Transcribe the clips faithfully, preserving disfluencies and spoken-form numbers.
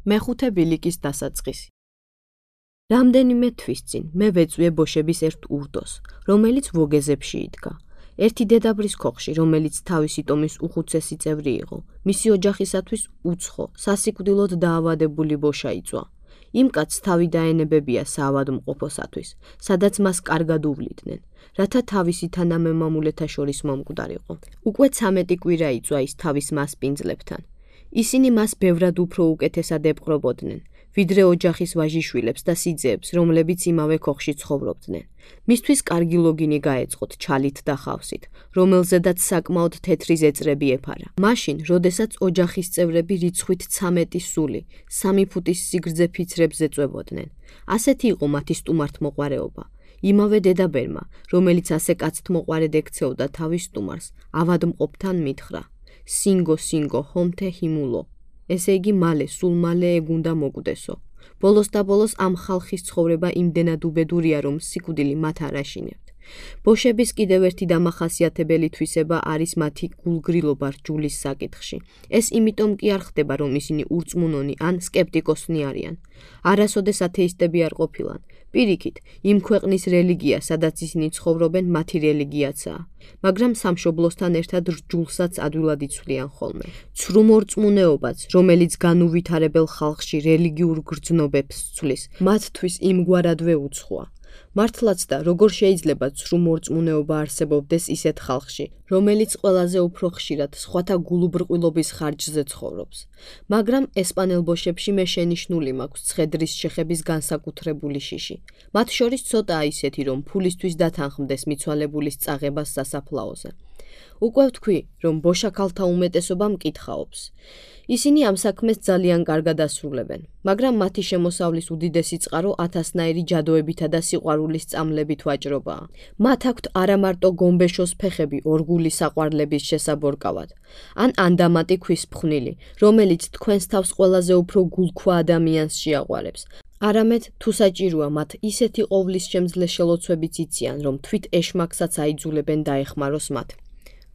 მეხუთე ბილიკის დასაწყისი. რამდენიმე თვის წინ მე ვეწვიე ბოშების ერთ ურდოს, რომელიც ვოგეზებში იდგა. ერთი დედაბრის ქოხში, რომელიც თავისი ტომის უხუცესი წევრი იყო, მისი ოჯახისათვის უცხო, სასიკვდილოდ დაავადებული ბოშა იწვა. იმ კაცს თავი დაენებებია საავადმყოფოსათვის, სადაც მას კარგად უვლიდნენ, რათა თავისი თანამემამულეთა შორის მომკვდარიყო. უკვე ცამეტი კვირა იწვა ის თავის მასპინძლებთან. ისინი მას ბევრად უფრო უკეთესად ეპყრობოდნენ, ვიდრე ოჯახის ვაჟიშვილებს და სიძეებს, რომლებიც იმავე ქოხში ცხოვრობდნენ. მისთვის კარგი ლოგინი გაეწყოთ ჩალით და ხავსით, რომელზედაც საკმაოდ თეთრი ზეწრები ეფარა. მაშინ, როდესაც ოჯახის წევრები რიცხვით ცამეტი სული, სამი ფუტის სიგრძე ფიცრებს ეწვებოდნენ. ასეთი იყო მათი სტუმართმოყვარეობა. იმავე დედაბერმა, რომელიც ასე კაცთმოყვარედ ექცეოდა თავის სტუმარს, ავადმყოფთან მითხრა: სინგო, სინგო, ჰომთე ჰიმულო. ესე იგი მალე, სულ მალე ეგ უნდა მოკვდესო. ბოლოს და ბოლოს ამ ხალხის ცხოვრება იმდენად უბედურია, რომ სიკვდილი მათ არ აშინებთ. ბოშების კიდევ ერთი დამახასიათებელი თვისება არის მათი გულგრილობა რჯულის საკითხში. ეს იმიტომ კი არ ხდება, რომ ისინი ურწმუნონი ან სკეპტიკოსნი არიან. არასოდეს ათეისტები არ ყოფილან. პირიქით, იმ ქვეყნის რელიგია, სადაც ისინი ცხოვრობენ, მათი რელიგიაცაა. მაგრამ სამშობლოსთან ერთად რჯულსაც ადვილად იცვლიან ხოლმე. ცრუმორწმუნეობაც, რომელიც განუვითარებელ ხალხში რელიგიურ გრძნობებს ცვლის, მათთვის იმგვარადვე უცხოა. მართლაც და როგორ შეიძლება ცრუმორწმუნეობა არსებობდეს ისეთ ხალხში, რომელიც ყველაზე უფრო ხშირად სხვათა გულუბრყვილობის ხარჯზე ცხოვრობს. მაგრამ ესპანელ ბოშებში მე შენიშნული მაქვს ცხედრის შეხების განსაკუთრებული შიში. მათ შორის ცოტაა ისეთი, რომ ფულისთვის დათანხმდეს მიცვალებულის წაღებას სასაფლაოზე. უკვე ვთქვი, რომ ბოშა ქალთა უმეტესობა მკითხაობს. ისინი ამ საქმეს ძალიან კარგად ასრულებენ, მაგრამ მათი შემოსავლის უდიდესი წყარო ათასნაირი ჯადოებითა და სიყვარულის წამლებით ვაჭრობაა. მათ აქვთ არამარტო გომბეშოს ფეხები ორგული საყვარლების შესაბორკავად, ან ანდამატი ქვის ფხვნილი, რომელიც თქვენს თავს ყველაზე უფრო გულქვა ადამიანს შეაყვარებს. არამედ თუ საჭიროა მათ ისეთი ყოვლის შემძლე შელოცვებიც იციან, რომ თვით ეშმაკსაც აიძულებენ დაეხმაროს მათ.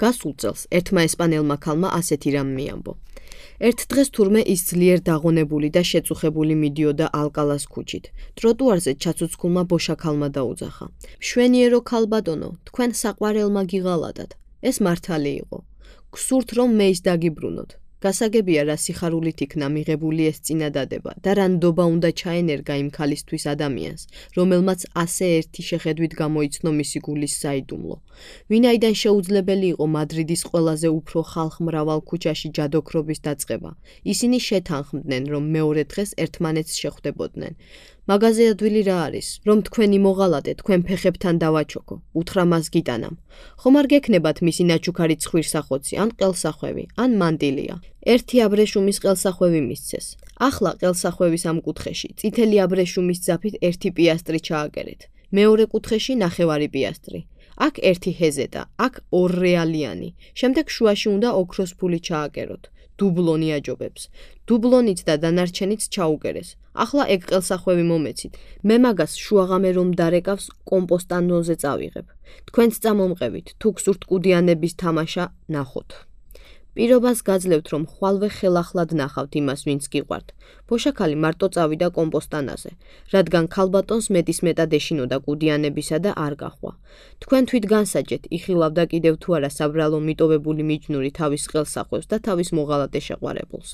გასულ წელს ერთმა ესპანელმა ქალმა ასეთი რამ მიამბო. ერთ დღეს თურმე ის ძლიერ დაღონებული და შეწუხებული მიდიოდა ალკალას ქუჩით. ტროტუარზე ჩაცუცქულმა ბოშა ქალმა დაუძახა: მშვენიერო ქალბატონო, თქვენ საყვარელმა გიღალატად. ეს მართალი იყო. გსურთ რომ მე ის დაგიბრუნოთ. გასაგებია რა სიხარულით იქნა მიღებული ეს წინადადება და რა ნდობა უნდა ჩაენერგა იმ ქალისთვის ადამიანს, რომელმაც ასე ერთი შეხედვით გამოიცნო მისი გულის საიდუმლო. ვინაიდან შეუძლებელი იყო მადრიდის ყველაზე უფრო ხალხმრავალ ქუჩაში ჯადოქრობის დაწყება, ისინი შეთანხმდნენ, რომ მეორე დღეს ერთმანეთს შეხვდებოდნენ. მაღაზე ადვილი რა არის, რომ თქვენი მოღალატე თქვენ ფეხებთან დავაჩოქო, უთხრა მას გიტანამ. ხომ არ გექნებათ მისი ნაჩუქარი ცხვირსახოცი, ან ყელსახვევი, ან მანტილია. ერთი აბრეშუმის ყელსახვევი მისცეს. ახლა ყელსახვევის ამ კუთხეში წითელი აბრეშუმის ძაფით ერთი პიასტრი ჩააგერეთ. მეორე კუთხეში ნახევარი პიასტრი. აქ ერთი ჰეზეტა, აქ ორ რეალიანი. შემდეგ შუაში უნდა ოქროს ფული ჩააგეროთ. დუბლონი აჯობებს. დუბლონიც და დანარჩენიც ჩაუგერეს. ახლა ეგ ყელსახვევი მომეცით. მე მაგას შუაღამე რომ დარეკავს კომპოსტანოზე წავიღებ. თქვენც წამომყევით, თუ გსურთ კუდიანების თამაშა ნახოთ. პირობას გაძლევთ, რომ ხვალვე ხელახლად ნახავთ იმას, ვინც გიყვართ. ბოშაქალი მარტო წავიდა კომპოსტანაზე, რადგან ქალბატონს მეტისმეტად ეშინოდა კუდიანებისა და არ გაჰყვა. თქვენ თვით განსაჯეთ, იხილავდა კიდევ თუ არა საბრალო მიტოვებული მიჯნური თავის ყელსახვევს და თავის მოღალატე შეყვარებულს.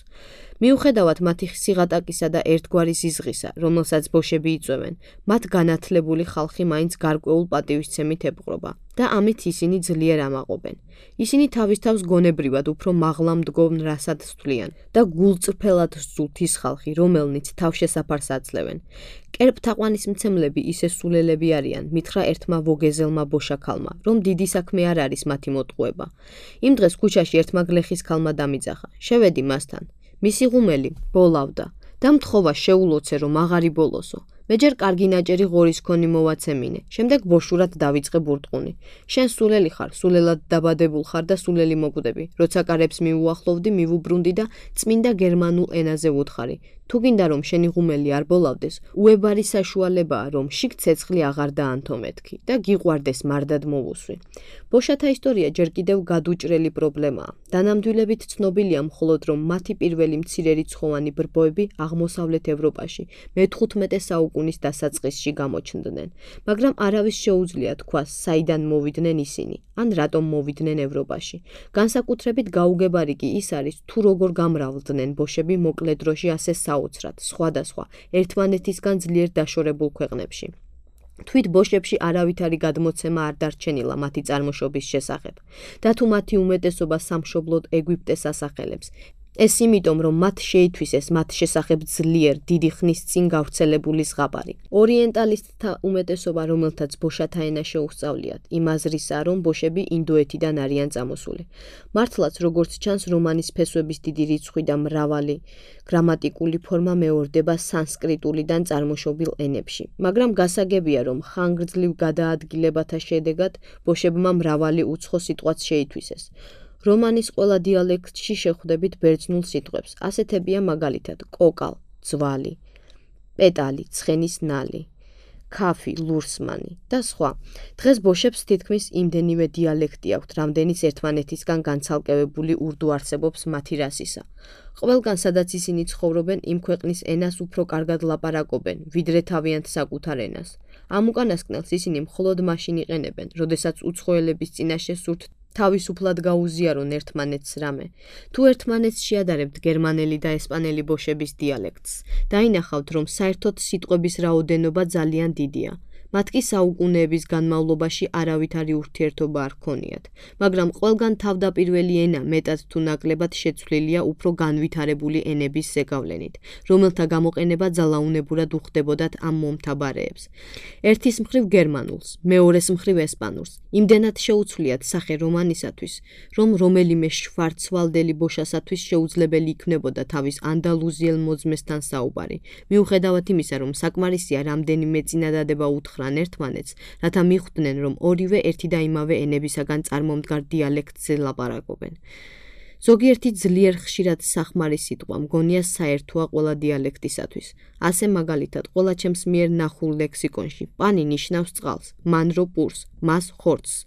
მიუხედავად მათი სიღატაკისა და ერთგვარი სიზღისა, რომელსაც ბოშები იწვევენ, მათ განათლებული ხალხი მაინც გარკვეულ პატივისცემით ეპყრობა და ამით ისინი ძლიერ ამაყობენ. ისინი თავის თავს გონებრივად უფრო მაღლა მდგომ რასად თვლიან და გულწრფელად სძულთ ის ხალხი, რომელნიც თავშესაფარს აძლევენ. კერპთაყვანისმცემლები ისე სულელები არიან, მითხრა ერთმა ვოგეზელმა ბოშაქალმა, რომ დიდი საქმე არ არის მათი მოტყუება. იმ დღეს ქუჩაში ერთმა გლეხის ქალმა დამიძახა. შევედი მასთან. მისი ღუმელი ბოლავდა და მთხოვა შეულოცე, რომ აღარ იბოლოსო. მე ჯერ კარგი ნაჭერი ღორის ქონი მოვაცემინე, შემდეგ ბოშურად დავიწყე ბურტყუნი. შენ სულელი ხარ, სულელად დაბადებულ ხარ და სულელი მოკვდები. როცა კარებს მიუახლოვდი, მივუბრუნდი და წმინდა გერმანულ ენაზე ვუთხარი. თუ გინდა რომ შენი ღუმელი არ ბოლავდეს, უებარი საშუალებაა რომ შიგ ცეცხლი აღარ დაანთო მეთქი და გიყვარდეს მარდად მოვუსვი. ბოშათა ისტორია ჯერ კიდევ გადუჭრელი პრობლემაა. დანამდვილებით ცნობილია მხოლოდ რომ მათი პირველი მცირე რიცხოვანი ბრბოები აღმოსავლეთ ევროპაში მეთხუთმეტე საუკუნის დასაწყისში გამოჩნდნენ, მაგრამ არავის შეუძლია თქვას, საიდან მოვიდნენ ისინი, ან რატომ მოვიდნენ ევროპაში. განსაკუთრებით გაუგებარი კი ის არის, თუ როგორ გამრავლდნენ ბოშები მოკლე დროში ასე საოცრად, სხვადასხვა, ერთმანეთისგან ძლიერ დაშორებულ ქვეყნებში. თვით ბოშებში არავითარი გადმოცემა არ დარჩენილა მათი წარმოშობის შესახებ და თუ მათი უმეტესობა სამშობლოდ ეგვიპტეს ასახელებს. ეს იმიტომ, რომ მათ შეითვისეს მათ შესახებ ძლიერ დიდი ხნის წინ გავრცელებული ზღაპარი. ორიენტალისტთა უმეტესობა, რომელთაც ბოშათა ენა შეუსწავლიათ, იმ აზრისაა, რომ ბოშები ინდოეთიდან არიან წამოსული. მართლაც, როგორც ჩანს, რომანის ფესვების დიდი რიცხვი და მრავალი გრამატიკული ფორმა მეორდება სანსკრიტულიდან წარმოშობილ ენებში, მაგრამ გასაგებია, რომ ხანგრძლივ გადაადგილებათა შედეგად ბოშებმა მრავალი უცხო სიტყვაც შეითვისეს. რომანის ყველა დიალექტში შეხვდებით ბერძნულ სიტყვებს. ასეთებია მაგალითად კოკალ, ძვალი, პეტალი, ცხენის ნალი, ქაფი, ლურსმანი და სხვა. დღეს ბოშებს თითქმის იმდენივე დიალექტი აქვთ, რამდენიც ერთმანეთისგან განცალკევებული ურდუ არსებობს მათი რასისა. ყველგან, სადაც ისინი ცხოვრობენ, იმ ქვეყნის ენას უფრო კარგად ლაპარაკობენ, ვიდრე თავიანთ საკუთარ ენას. ამ უკანასკნელს ისინი მხოლოდ მაშინ იყენებენ, როდესაც უცხოელების წინაშე სურთ თავისუფლად გაუზიარონ ერთმანეთს რამე. თუ ერთმანეთს შეადარებთ გერმანელი და ესპანელი ბოშების დიალექტს, დაინახავთ, რომ საერთოდ სიტყვების რაოდენობა ძალიან დიდია. მათ კი საუკუნეების განმავლობაში არავითარი ურთიერთობა არ ჰქონიათ, მაგრამ ყველგან თავდაპირველი ენა მეტად თუ ნაკლებად შეცვლილია უფრო განვითარებული ენების ზეგავლენით, რომელთა გამოყენება ძალაუნებურად უხდებოდათ ამ მომთაბარეებს. ერთის მხრივ გერმანულს, მეორეს მხრივ ესპანურს. იმდენად შეუცვლიათ სახე რომანისათვის, რომ რომელიმე შვარცვალდელი ბოშასათვის შეუძლებელი იქნებოდა თავის ანდალუზიელ მოძმესთან საუბარი. მიუხედავად იმისა, რომ საკმარისია რამდენიმე წინადადება უთხრა ერთმანეთს, რათა მიხვდნენ, რომ ორივე ერთი და იმავე ენებისაგან წარმომდგარ დიალექტზე ლაპარაკობენ. ზოგიერთი ძლიერ ხშირად სახმარი სიტყვა მგონია საერთოა ყველა დიალექტისათვის. ასე მაგალითად, ყველა ჩემს მიერ ნახულ ლექსიკონში პანი ნიშნავს წყალს, მანრო პურს, მას ხორცს,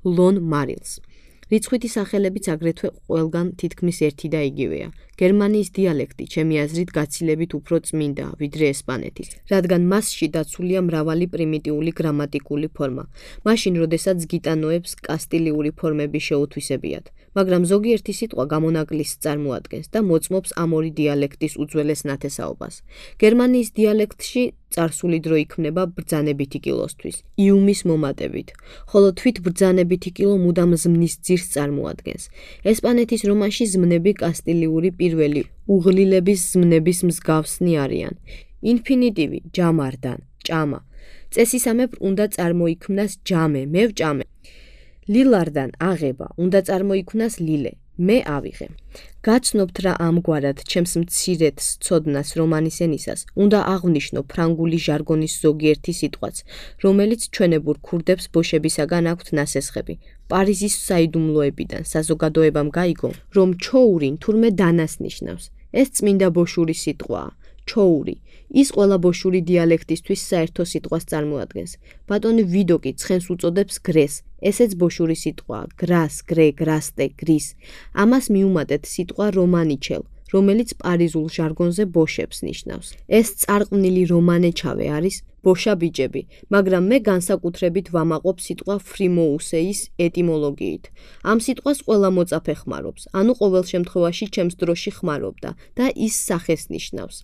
ლონ მარილს. რიცხვითი სახელებიც აგრეთვე ყველგან თითქმის ერთი და იგივეა. გერმანიის დიალექტი, ჩემი აზრით, გაცილებით უფრო წმინდაა, ვიდრე ესპანეთის, რადგან მასში დაცულია მრავალი პრიმიტიული გრამატიკული ფორმა, მაშინ, როდესაც გიტანოებს კასტილიური ფორმები შეუთვისებიათ, მაგრამ ზოგიერთი სიტყვა გამონაკლისს წარმოადგენს და მოწმობს ამ ორი დიალექტის უძველეს ნათესაობას. გერმანიის დიალექტში წარსული დრო იქმნება ბრძანებითი კილოსთვის, იუმის მომატებით, ხოლო თვით ბრძანებითი კილო მუდამ ზმნის ძირს წარმოადგენს. ესპანეთის რომანში ზმნები კასტილიური პირველი უღლილების ზმნების მსგავსნი არიან. ინფინიტივი ჯამარდან, ჭამა. წესისამებრ უნდა წარმოიქმნას ჯამე, მე ვჭამე. ლილარდან აღება, უნდა წარმოიქმნას ლილე, მე ავიღე. გაცნობთ რა ამგვარად ჩემს მცირედ ცოდნას რომანის ენისას, უნდა აღვნიშნო ფრანგული ჟარგონის ზოგიერთი სიტყვაც, რომელიც ჩვენებურ ქურდებს ბოშებისაგან აქვთ ნასესხები. პარიზის საიდუმლოებიდან საზოგადოებამ გაიგო, რომ ჩოური თურმე დანას ნიშნავს. ეს წმინდა ბოშური სიტყვაა, ჩოური. ის ყველა ბოშური დიალექტისთვის საერთო სიტყვას წარმოადგენს. ბატონი ვიდოკი ცხენს უწოდებს გრეს, ესეც ბოშური სიტყვაა, გრას, გრე, გრასტე, გრის. ამას მიუმატეთ სიტყვა რომანიჩელ, რომელიც პარიზულ ჟარგონზე ბოშებს ნიშნავს. ეს წარყვნილი რომანეჩავე არის ბოშა ბიჭები, მაგრამ მე განსაკუთრებით ვამაყობ სიტყვა ფრიმოუსეის ეტიმოლოგიით. ამ სიტყვას ყველა მოწაფე ხმარობს, ანუ ყოველ შემთხვევაში ჩემს დროში ხმარობდა და ის სახეს ნიშნავს.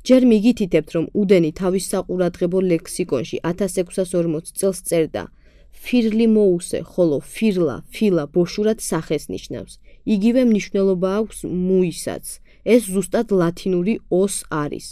ჯერ მიგითითებთ, რომ უდენი თავის საყურადღებო ლექსიკონში ათას ექვსას ორმოც წელს წერდა ფირლი მოუსე, ხოლო ფირლა, ფილა ბოშურად სახეს ნიშნავს. იგივე მნიშვნელობა აქვს მუისაც. ეს ზუსტად ლათინური ოს არის.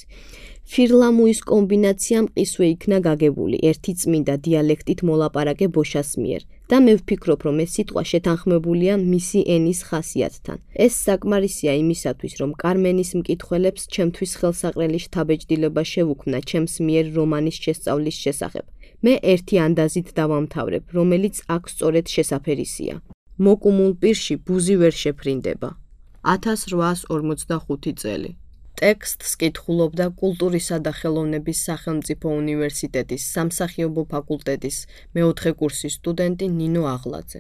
ფირლამუის კომბინაცია მყისვე იქნა გაგებული ერთი წმინდა დიალექტით მოლაპარაკე ბოშას მიერ. და მე ვფიქრობ, რომ ეს სიტყვა შეთანხმებულია მისი ენის ხასიათთან. ეს საკმარისია იმისათვის, რომ კარმენის მკითხველებს ჩემთვის ხელსაყრელი შთაბეჭდილება შევუქმნა ჩემს მიერ რომანის შესწავლის შესახებ. მე ერთი ანდაზით დავამთავრებ, რომელიც აქ სწორედ შესაფერისია. მოკუმულ პირში ბუზი ვერ შეფრინდება. ათას რვაას ორმოცდახუთი წელი. ტექსტს კითხულობდა კულტურისა და ხელოვნების სახელმწიფო უნივერსიტეტის სამსახიობო ფაკულტეტის მეოთხე კურსის სტუდენტი ნინო აღლაძე.